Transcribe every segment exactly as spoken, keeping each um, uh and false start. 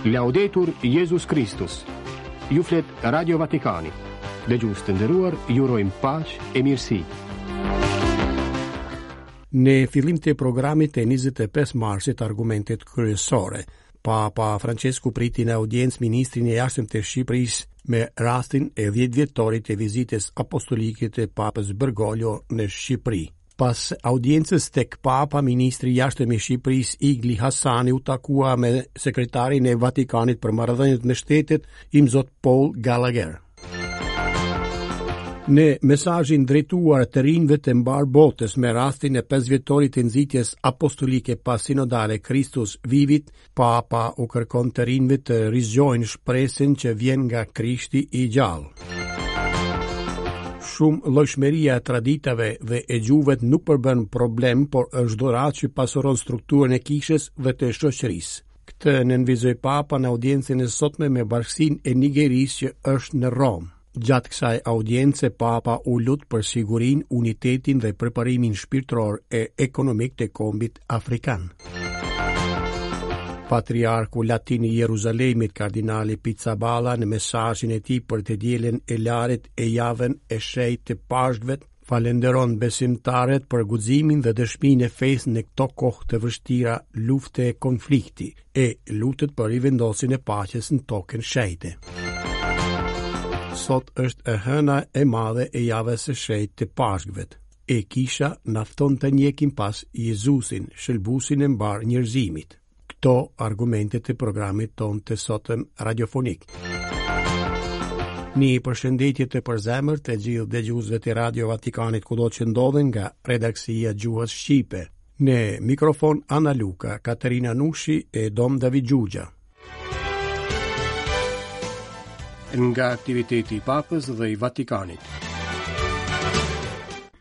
Laudetur Jezus Kristus. Ju flet Radio Vatikani. Dëgjues të nderuar, ju urojmë paqe e mirësi. Në fillim të programit të njëzet e pesë marsit, argumentet kryesore. Papa Francesku priti në audiencë ministrin e jashtëm të Shqipërisë me rastin e dhjetë vjetorit të vizitës apostolike të Papës Bergoglio në Shqipëri. Pas audiencës tek Papa, ministri i jashtëm i Shqipërisë, Igli Hasani, u takua me sekretarin e Vatikanit për marrëdhëniet me shtetet, Imzot Paul Gallagher. Në mesazhin drejtuar të rinjve të mbarë botës me rastin e pesë vjetorit të nxitjes apostolike pasinodale Christus Vivit, Papa u kërkon të rinjve të rizgjojnë shpresën që vjen nga Krishti i gjallë. Shumëllojshmëria e traditave dhe e gjuhëve nuk përbën problem, por është dhuratë që pasuron strukturën e kishës dhe të shoqërisë. Këtë nënvizoi Papa në audiencën e sotme me bashkësinë e Nigerisë që është në Romë. Gjatë kësaj audience, Papa u lut për sigurinë, unitetin dhe përparimin shpirtëror e ekonomik të kombit afrikan. Patriarku Latin i Jeruzalemit, kardinali Pizzaballa, në mesazhin e tij për të dielën e Larit e javën e shenjtë të Pashkëve, falenderon besimtarët për guximin dhe dëshminë e fesë në këto kohë të vështira lufte e konflikti, e lutet për rivendosjen e paqes në tokën shenjte. Sot është e hëna e madhe e javës së shenjtë të Pashkëve. E kisha na fton të ndjekim pas Jezusin, shëlbuesin e mbarë njerëzimit. Këto argumente të programit tonë të sotëm radiofonik. Një përshëndetje të përzemër të gjithë dëgjuesve të Radio Vatikanit kudo që ndodhen nga redaksia gjuhës shqipe. Në mikrofon Ana Luka, Katerina Nushi e Dom David Gjugja. Nga aktiviteti i Papës dhe i Vatikanit.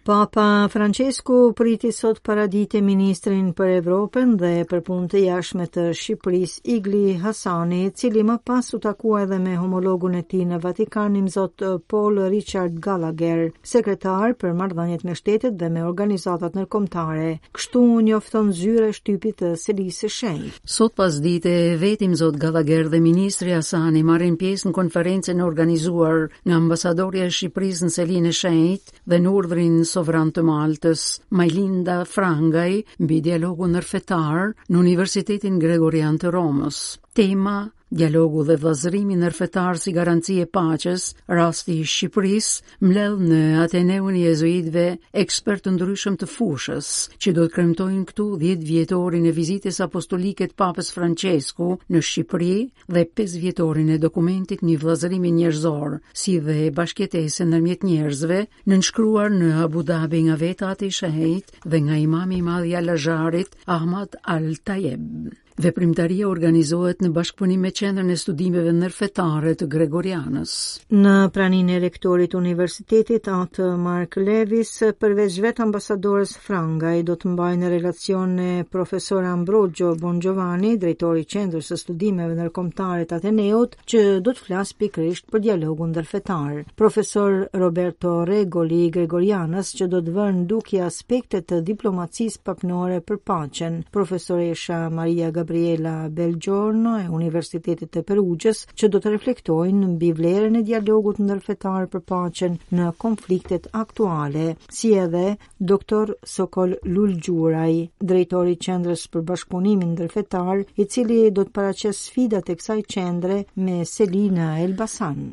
Papa Francesku priti sot paradite ministrin për Evropën dhe për punë të jashtme të Shqipërisë, Igli Hasani, cili më pas u takua edhe me homologun e tij në Vatikan, Imzot Paul Richard Gallagher, sekretar për marrëdhëniet me shtetet dhe me organizatat ndërkombëtare. Kështu njofton zyra e shtypit të Selisë së Shenjtë. Sot pasdite vetë Imzot Gallagher dhe ministri Hasani marrin pjesë në konferencën e organizuar nga ambasadorja e Shqipërisë në Selinë e Shenjtë dhe në urdhrin sovran të Maltës, Majlinda Frangaj, mbi dialogun ndërfetar në Universitetin Gregorian të Romës. Tema: Dialogu dhe vëllazërimi ndërfetar si garanci e paqes, rasti i Shqipërisë, mbledh në Ateneun e Jezuitëve ekspertë të ndryshëm të fushës, që do të kremtojnë këtu dhjetë vjetorin e vizitës apostolike të Papës Francesku në Shqipëri dhe pesë vjetorin e dokumentit mbi vëllazërimin njerëzor, si dhe bashkëjetesën ndërmjet njerëzve, nënshkruar në Abu Dhabi nga vetë Ati i Shenjtë dhe nga imami i madh i Al-Azharit, Ahmad Al-Tayeb. Veprimtaria organizohet në bashkëpunim me Qendrën e Studimeve Ndërfetare të Gregorianës. Në praninë e rektorit universitetit Atë Mark Levis, përveç vetë ambasadores Frangaj, do të mbajnë relacion e profesor Ambrogio Bongiovanni, drejtori i Qendrës së Studimeve Ndërkombëtare të Ateneut, që do të flasë pikërisht për dialogun ndërfetar. Profesor Roberto Regoli i Gregorianës, që do të vërë në dukje aspektet të diplomacisë papnore për paqen. Profesoresha Maria Gabriela Belgiorno e Universitetit të Perugjës, që do të reflektojnë mbi vlerën e dialogut ndërfetar për paqen në konfliktet aktuale, si edhe doktor Sokol Lulgjuraj, drejtori i Qendrës për Bashkëpunimin Ndërfetar, i cili do të paraqesë sfidat e kësaj qendre me seli në Elbasan.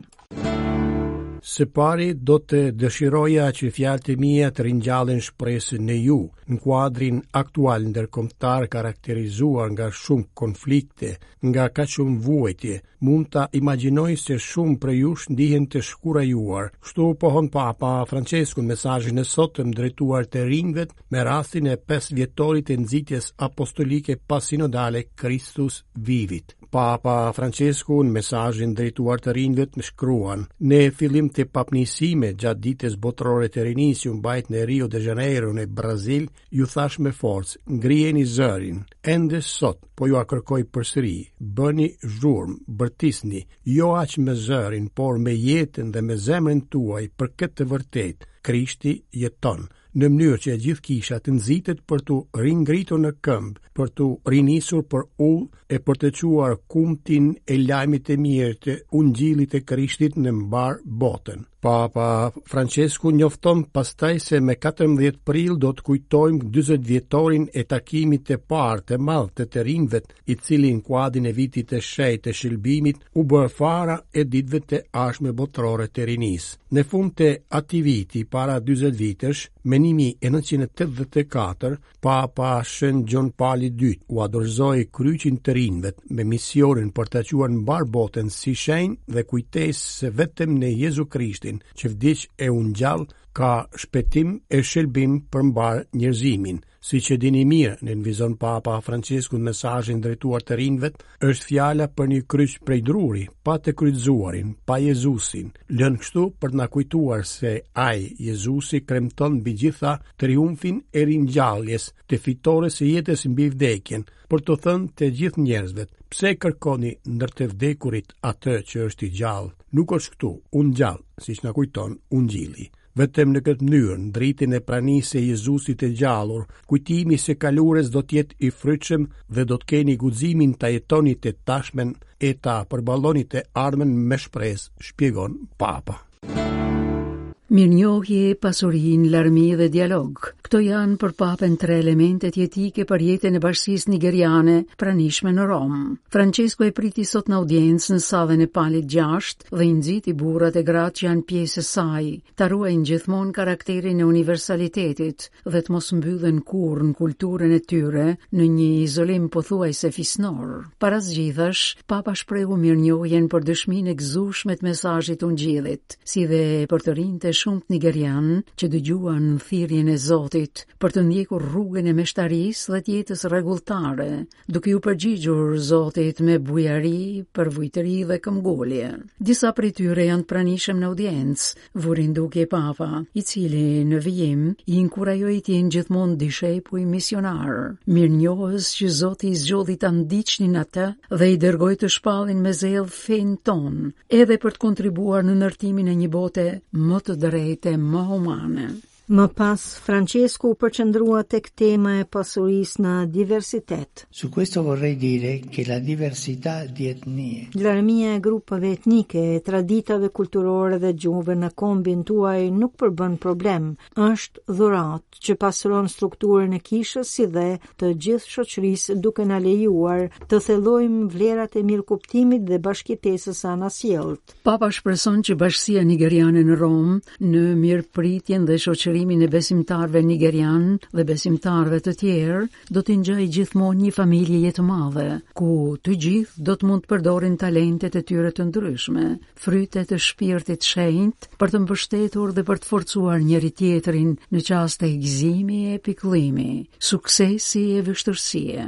Së pari do të dëshiroja që fjalët e mia të ringjallin shpresën në ju, në kuadrin aktual ndërkombëtar karakterizuar nga shumë konflikte, nga kaq shumë vuajtje. Mund ta imagjinoj se shumë prej jush ndihen të shkurajuar. Kështu pohon Papa Francesku në mesazhin e sotëm drejtuar të rinjve me rastin e pesë vjetorit të nxitjes apostolike pasinodale Christus Vivit. Papa Francesku në mesazhin drejtuar të rinjve më shkruan: Në fillim të papnisime gjatë ditës botërore të rinisë që u mbajt në Rio de Janeiro në Brazil, ju thash me forcë: ngrijeni zërin. Ende sot po ju a kërkoj përsëri, bëni zhurmë, bërtisni, jo aq me zërin, por me jetën dhe me zemrën tuaj për këtë të vërtetë. Krishti jeton. në mënyrë që e gjithë kisha të nxitet për t'u ringritur në këmbë, për t'u rinisur për udhë e për të çuar kumtin e lajmit të mirë të Ungjillit të Krishtit në mbar botën. Papa Francesku njofton pastaj se me katërmbëdhjetë prill do të kujtojmë dyzet vjetorin e takimit të parë të madh të të rinjve, i cili në kuadrin e vitit të shenjtë të shëlbimit u bë fara e ditëve të ardhshme botërore të rinisë. Në fund të atij viti, para dyzet vitesh, me një mijë e nëntëqind e tetëdhjetë e katër, Papa Shën Gjon Pali i dytë u dorëzoi kryqin të rinjve me misionin për të çuar në mbar botën si shenjë dhe kujtesë se vetëm në Jezu Krishtin, që vdiq e u ngjall, ka shpëtim e shëlbim për mbar njerëzimin. Siç e dini mirë, nënvizon Papa Francesku në mesazhin drejtuar të rinjve, është fjala për një kryq prej druri, pa të kryqëzuarin, pa Jezusin, lënë kështu për të na kujtuar se ai, Jezusi, kremton mbi gjitha triumfin e ringjalljes, të fitores së jetës mbi vdekjen, për të thënë të gjithë njerëzve, pse kërkoni ndër të vdekurit atë që është i gjallë? Nuk është këtu, u ngjall, siç na kujton Ungjilli. Vetëm në këtë mënyrë, në dritën e pranisë së Jezusit të gjallur, kujtimi i së kalurës do të jetë i frytshëm dhe do të keni guximin ta jetoni të tashmen e ta përballoni të ardhmen me shpresë, shpjegon Papa. Mirënjohje, pasurinë, larmi dhe dialog. Këto janë për Papën tre elementet jetike për jetën e bashkësisë nigeriane pranishme në Romë. Francesco e priti sot në audiencë në sallën e Palit gjashtë dhe i nxiti burrat e gratë që janë pjesë e saj, ta ruajnë gjithmonë karakterin e universalitetit dhe të mos mbyllen kurrë në kulturën e tyre në një izolim pothuajse fisnor. Para së gjithash, Papa shprehu mirënjohjen për dëshminë e gëzueshme të mesazhit të Ungjillit, si dhe për të rinjtë e shumë nigerian që dëgjuan thirrjen e Zotit për të ndjekur rrugën e meshtarisë dhe të jetës rregulltare, duke ju përgjigjur Zotit me bujari, përvujtëri dhe këmbgulje. Disa prej tyre janë të pranishëm në audiencë, vurin dukje Papa, i cili në vijim i inkurajoi të jenë gjithmonë dishepuj misionar, mirënjohës që Zoti i zgjodhi ta ndiqnin atë dhe i dërgoi të shpallin me zell fenë tonë, edhe për të kontribuar në ndërtimin e një bote më të drejtë e më humane. Më pas, Francesco u përqendrua tek tema e pasurisë në diversitet. Su questo vorrei dire che la diversità di etnie, Larmia e grupeve etnike, e traditave kulturore dhe gjuhëve në kombin tuaj nuk përbën problem, është dhuratë që pasuron strukturën e kishës si dhe të gjithë shoqërisë, duke na lejuar të thellojmë vlerat e mirëkuptimit dhe bashkëjetesës së anasjelltë. Papa shpreson që bashkësia nigeriane në Romë, në mirëpritjen dhe shoqërimin e besimtarëve nigerian dhe besimtarëve të tjerë, do t'i ngjajë gjithmonë një familje të madhe, ku të gjithë do të mund të përdorin talentet e tyre të ndryshme, frytet e shpirtit shenjt, për të mbështetur dhe për të forcuar njëri tjetrin në çaste gëzimi e pikëllimi, suksesi e vështirësie.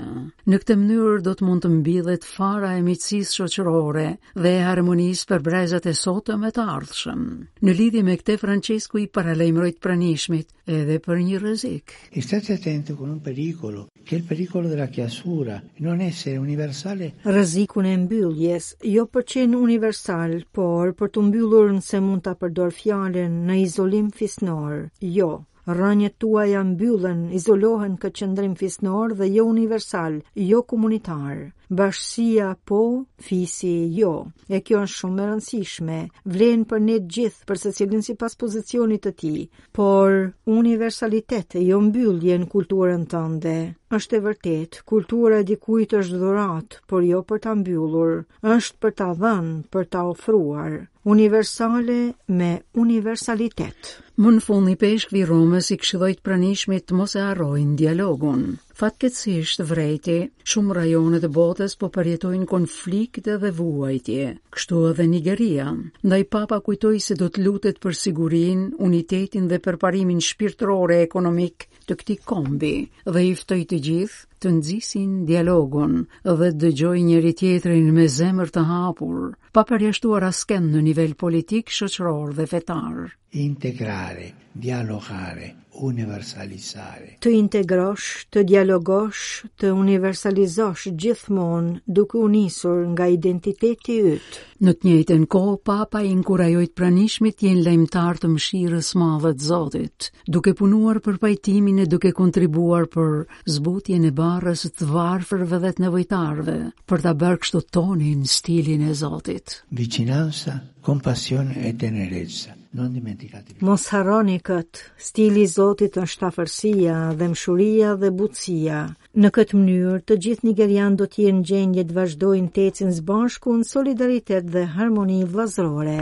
Në këtë mënyrë do të mund të mbillet fara e miqësisë shoqërore dhe e harmonisë për brezat e sotëm e të ardhshëm. Në lidhje me këtë, Francesco i paralajmëroi të pranishmit edhe për një rrezik. E state attenti con un pericolo, che è il pericolo della chiusura, non essere universale. Rrezikun e mbylljes, jo për qenë universal, por për të mbyllur nëse mund ta përdor fjalën në izolim fisnor. Jo, rrënjët tuaja mbyllen, izolohen këtë qëndrim fisnor dhe jo universal, jo komunitar. Bashkësia po, fisi jo. E kjo është shumë e rëndësishme. Vlen për ne të gjithë, për secilin sipas pozicionit të tij, por universalitet e jo mbyllje në kulturën tënde. Është e vërtetë, kultura e dikujt është dhuratë, por jo për ta mbyllur, është për ta dhënë, për ta ofruar. Universale me universalitet. Më në fund, i peshkvi i Romës i këshilloi të pranishmit të mos e harrojnë dialogun. Fatkeqësisht vrejti, shumë rajone të botës po përjetojnë konflikte dhe vuajtje, kështu edhe Nigeria. Ndaj Papa kujtoi se do të lutet për sigurinë, unitetin dhe përparimin shpirtëror e ekonomik të këtij kombi dhe i ftoi të gjithë të nxisin dialogun dhe të dëgjojnë njëri tjetrin me zemër të hapur, pa përjashtuar askënd në nivel politik, shoqëror dhe fetar. Integrare, dialogare, universalizzare. Të integrosh, të dialogosh, të universalizosh gjithmonë duke u nisur nga identiteti yt. Në të njëjtën kohë, Papa inkurajoi të pranishmit të jenë lajmëtar të mëshirës madhe të Zotit, duke punuar për pajtimin e duke kontribuar për zbutjen e barrës të varfërve dhe të nevojtarëve, për ta bërë kështu tonin stilin e Zotit. Vicinanza, compassione e tenerezza. Non dimenticatevi. Mos harroni këtë, stili i Zotit është afërsia, dhembshuria dhe butësia. Në këtë mënyrë, të gjithë nigerianët do të jenë në gjendje të vazhdojnë të ecin së bashku në solidaritet dhe harmoni vëllazërore.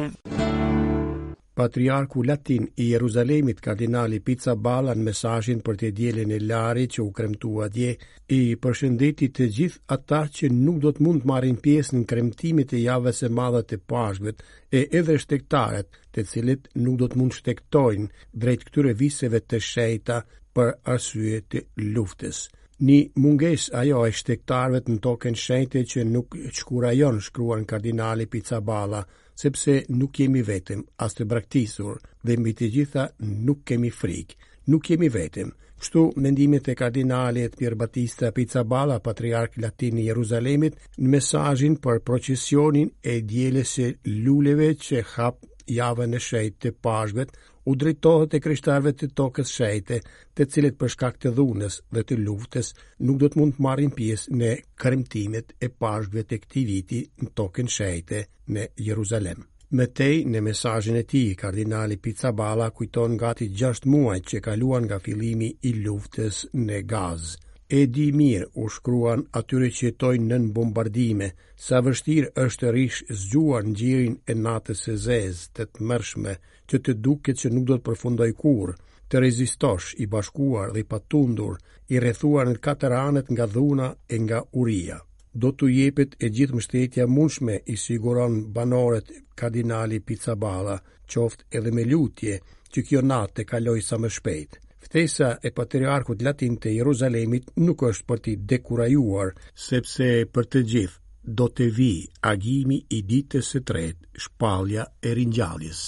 Patriarku latin i Jeruzalemit, kardinali Pizzaballa, në mesazhin për të dielën e Larit që u kremtua dje, i përshëndeti të gjithë ata që nuk do të mund të marrin pjesë në kremtimet e javës së madhe të Pashkëve, e edhe shtegtarët, të cilët nuk do të mund shtegtojnë drejt këtyre viseve të shenjta për arsye të luftës. Një mungesë ajo e shtegtarëve në tokën shenjte që nuk çkurajon, shkruan kardinali Pizzaballa, sepse nuk jemi vetëm, as të braktisur, dhe mbi të gjitha nuk kemi frikë. Nuk jemi vetëm. Kështu mendimet e kardinalit Pierbattista Pizzaballa, patriark latin i Jeruzalemit, në mesazhin për procesionin e dielës së luleve që hap javën e shenjtë të Pashkëve, u drejtohet e krishtarëve të tokës shenjte, të cilët për shkak të dhunës dhe të luftës nuk do të mund të marrin pjesë në kremtimet e Pashkëve të këtij viti në tokën shenjte në Jeruzalem. Më tej, në mesazhin e tij, kardinali Pizzaballa kujton gati gjashtë muaj që kaluan nga fillimi i luftës në Gazë. E di mirë, u shkruan atyre që jetojnë nën bombardime, sa vështirë është të rish zgjuar në gjirin e natës së zezë, të tmerrshme, që të duket që nuk do të përfundoj kurrë, të rezistosh i bashkuar dhe i patundur, i rrethuar në katër anët nga dhuna e nga uria. Do t'u jepet e gjithë mbështetja mundshme, i siguron banorët kardinali Pizzaballa, qoftë edhe me lutje, që kjo natë të kalojë sa më shpejt. Ftesa e patriarkut latin të Jeruzalemit nuk është për t'i dekurajuar, sepse për të gjithë do të vijë agimi i ditës së tretë, shpallja e ringjalljes.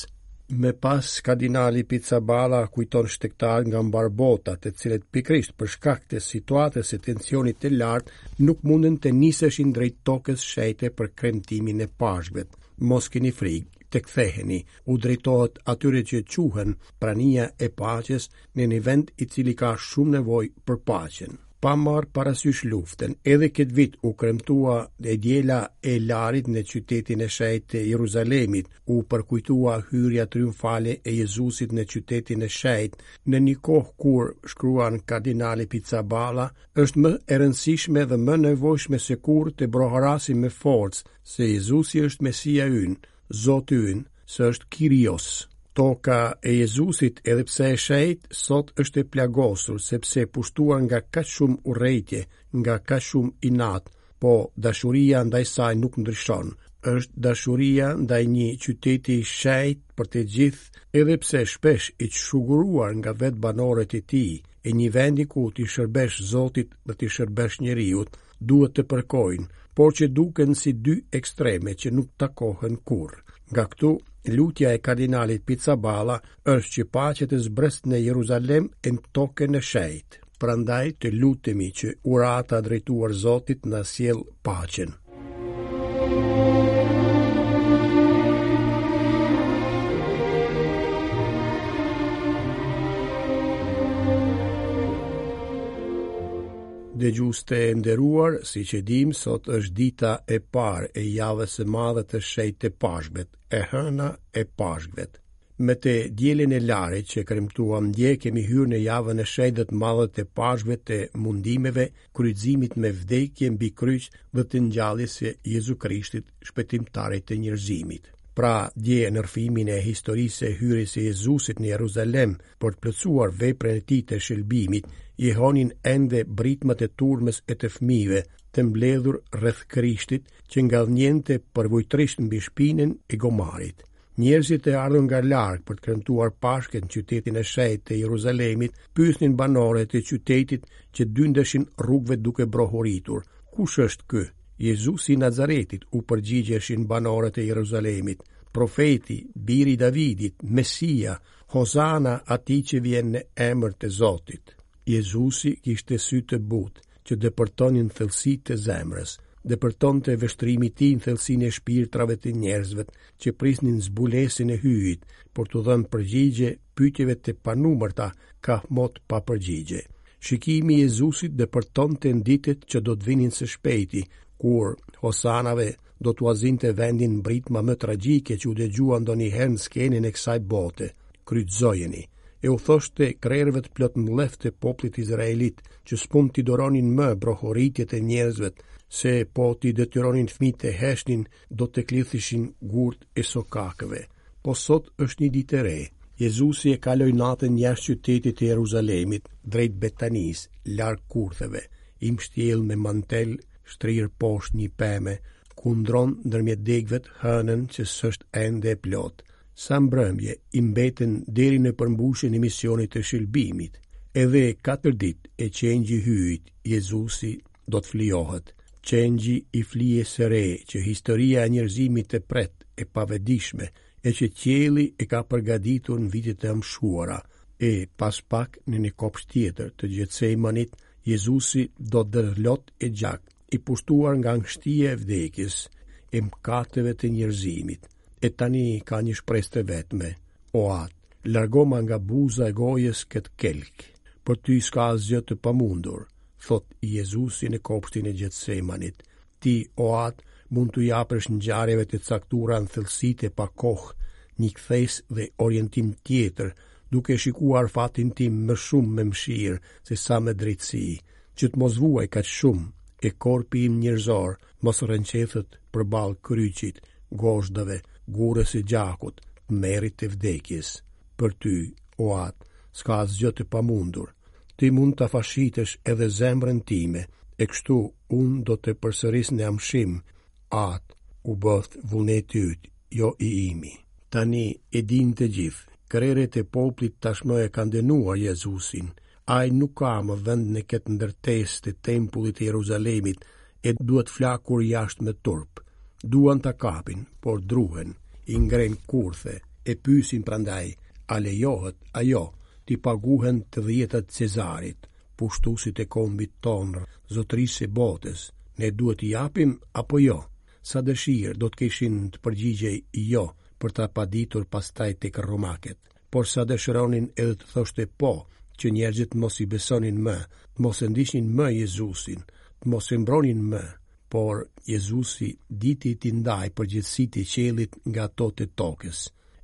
Më pas, kardinali Pizzaballa kujton shtegtarë nga mbar bota, të cilët pikërisht për shkak të situatës së tensionit të lartë nuk mundën të niseshin drejt tokës shenjte për kremtimin e Pashkëve. Mos keni frikë, të ktheheni, u drejtohet atyre që quhen prania e paqes në një vend i cili ka shumë nevojë për paqen. Pa marrë parasysh luftën, edhe këtë vit u kremtua e diela e Larit në qytetin e shenjtë të Jeruzalemit, u përkujtua hyrja triumfale e Jezusit në qytetin e shenjtë, në një kohë kur, shkruan kardinali Pizzaballa, është më e rëndësishme dhe më nevojshme se kurrë të broharasim me forcë se Jezusi është Mesia ynë, Zoti ynë, se është Kyrios. Toka e Jezusit, edhe pse e shenjtë, sot është e plagosur, sepse e pushtuar nga kaq shumë urrejtje, nga kaq shumë inat, po dashuria ndaj saj nuk ndryshon. Është dashuria ndaj një qyteti i shenjtë për të gjithë, edhe pse shpesh i çshuguruar nga vetë banorët e tij, e një vendi ku t'i shërbesh Zotit dhe t'i shërbesh njeriut, duhet të përkojnë, por që duken si dy ekstreme që nuk takohen kurrë. Nga këtu, lutja e kardinalit Pizzaballa është që paqja të zbresë në Jeruzalem e në tokën e shenjtë. Prandaj të lutemi që urata drejtuar Zotit na sjell paqen. Dëgjues të nderuar, siç e dim, sot është dita e parë e javës së madhe të shenjtë të Pashkëve, e hëna e Pashkëve. Me të dielën e Larit që kremtuam dje, kemi hyrë në javën e shenjtë dhe të madhe të Pashkëve, të mundimeve, kryqëzimit me vdekje mbi kryq dhe të ngjalljes së Jezu Krishtit, shpëtimtarit të njerëzimit. Pra, dje në rrëfimin e historisë së hyrjes së Jezusit në Jeruzalem për të plotësuar veprën e tij të shëlbimit, jehonin ende britmat e turmës e të fëmijëve të mbledhur rreth Krishtit, që ngadhnjente përvujtërisht mbi shpinën e gomarit. Njerëzit e ardhur nga larg për të kremtuar Pashkën në qytetin e shenjtë të Jeruzalemit, pyesnin banorët e qytetit që dyndeshin rrugëve duke brohoritur: Kush është ky? Jezusi i Nazaretit, u përgjigjeshin banorët e Jeruzalemit. Profeti, biri i Davidit, Mesia, Hosana atij që vjen në emër të Zotit. Jezusi kishte sy të butë, që depërtonin thellësitë e zemrës, depërtonte vështrimi i tij në thellësinë e shpirtrave të njerëzve që prisnin zbulesën e Hyjit për t'u dhënë përgjigje pyetjeve të panumërta kahmot pa përgjigje. Shikimi i Jezusit depërtonte në ditët që do të vinin së shpejti, kur Hosanave do t'ua zinte vendin britma më tragjike që u dëgjua ndonjëherë në skenën e kësaj bote, kryqëzojeni. E u thoshte krerëve të plot mllef të popullit izraelit që s'mund t'i duronin më brohoritjet e njerëzve, se po t'i detyronin fëmijët të heshnin, do të klithishin gurt e sokakëve. Po sot është një ditë e re. Jezusi e kaloi natën jashtë qytetit të Jeruzalemit, drejt Betanisë, larg kurtheve, i mbështjell me mantel, shtrirë poshtë një peme, kundron ndërmjet degëve hënën që s'është ende e plot. Sa mbrëmje i mbeten deri në përmbushjen e misionit të shëlbimit. Edhe katër ditë e qengji Hyjit, Jezusi do të flijohet. Qengji i flijes së re që historia e njerëzimit të pret e pavedishme, e që qielli e ka përgatitur në vitet e amshuara, e pas pak në një kopsht tjetër të Gjetsemanit, Jezusi do të derdhë lot e gjak, i pushtuar nga angështia e vdekjes, e mëkateve të njerëzimit. E tani ka një shpresë të vetme: O At, largoma nga buza e gojës këtë kelk. Për ty s'ka asgjë të pamundur, thot Jezusi në kopshtin e Gjetsemanit. Ti, o At, mund t'u japësh ngjarjeve të caktuara në thellësitë e pakohë, një kthesë dhe orientim tjetër, duke shikuar fatin tim më shumë me mëshirë se sa me drejtësi, që të mos vuaj kaq shumë, e korpi im njerëzor mos rrënqethet përballë kryqit, gozhdave, gurës e gjakut, tmerrit të vdekjes. Për ty, o At, s'ka asgjë të pamundur. Ti mund ta fashitësh edhe zemrën time, e kështu unë do të përsëris në amshim: At, u bëft vullneti yt, jo i imi. Tani e din të gjithë, krerët e popullit tashmë e kanë dënuar Jezusin. Ai nuk ka më vend në këtë ndërtesë të tempullit të Jeruzalemit e duhet flakur jashtë me turp. Duan ta kapin, por druhen, i ngren kurthe, e pyesin prandaj, a lejohet ajo t'i paguhen të dhjetat Cezarit, pushtuesit e kombit tonë, zotërisë së botës, ne duhet t'i japim apo jo? Sa dëshirë do të kishin të përgjigjej jo, për ta paditur pastaj tek romakët, por sa dëshironin edhe të thoshte po, që njerëzit mos i besonin më, të mos e ndiqnin më Jezusin, të mos e mbronin më, por Jezusi diti t'i ndaj përgjegjësitë e qiellit nga ato të tokës.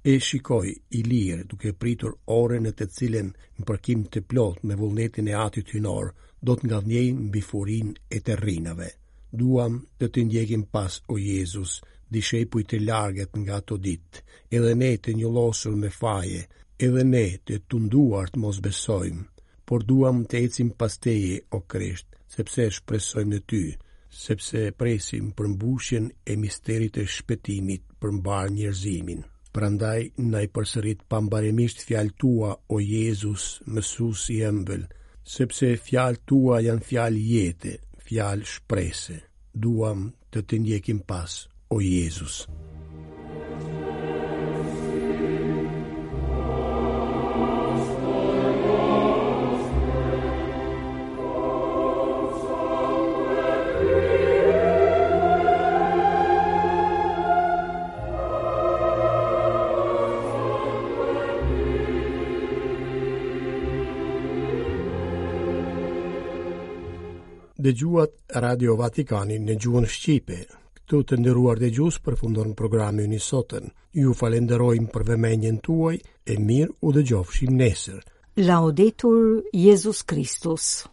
E shikoi i lirë duke pritur orën në të cilën në përkim të plot me vullnetin e Atit Hyjnor do të ngadhnjejë mbi furinë e terrinave. Duam të të ndjekim pas, o Jezus, dishepuj të largët nga ato ditë, edhe ne të njollosur me faje, edhe ne të tunduar të mos besojmë, por duam të ecim pas teje, o Krisht, sepse shpresojmë në ty, sepse presim përmbushjen e misterit të shpëtimit për mbarë njerëzimin. Prandaj na i përsërit pambarimisht fjalët tua, o Jezus, mësues i ëmbël, sepse fjalët tua janë fjalë jete, fjalë shprese. Duam të të ndjekim pas, o Jezus. Dëgjuat Radio Vatikanin në gjuhën shqipe. Këtu të nderuar dëgjues përfundon programi ynë i sotëm. Ju falenderojmë për vëmendjen tuaj e mirë u dëgjofshim nesër. Laudetur Jezus Christus.